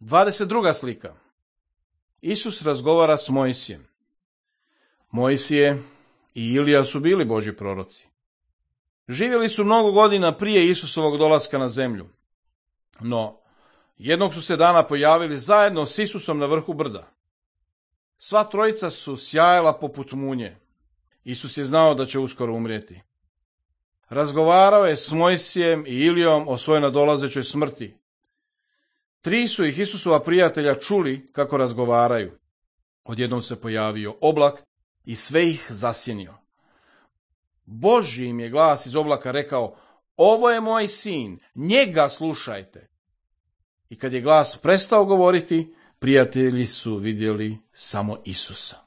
22. slika. Isus razgovara s Mojsijem. Mojsije i Ilija su bili Božji proroci. Živjeli su mnogo godina prije Isusovog dolaska na zemlju. No, jednog su se dana pojavili zajedno s Isusom na vrhu brda. Sva trojica su sjajala poput munje. Isus je znao da će uskoro umrijeti. Razgovarao je s Mojsijem i Ilijom o svojoj nadolazećoj smrti. 3 su ih Isusova prijatelja čuli kako razgovaraju. Odjednom se pojavio oblak i sve ih zasjenio. Božji im je glas iz oblaka rekao: ovo je moj sin, njega slušajte. I kad je glas prestao govoriti, prijatelji su vidjeli samo Isusa.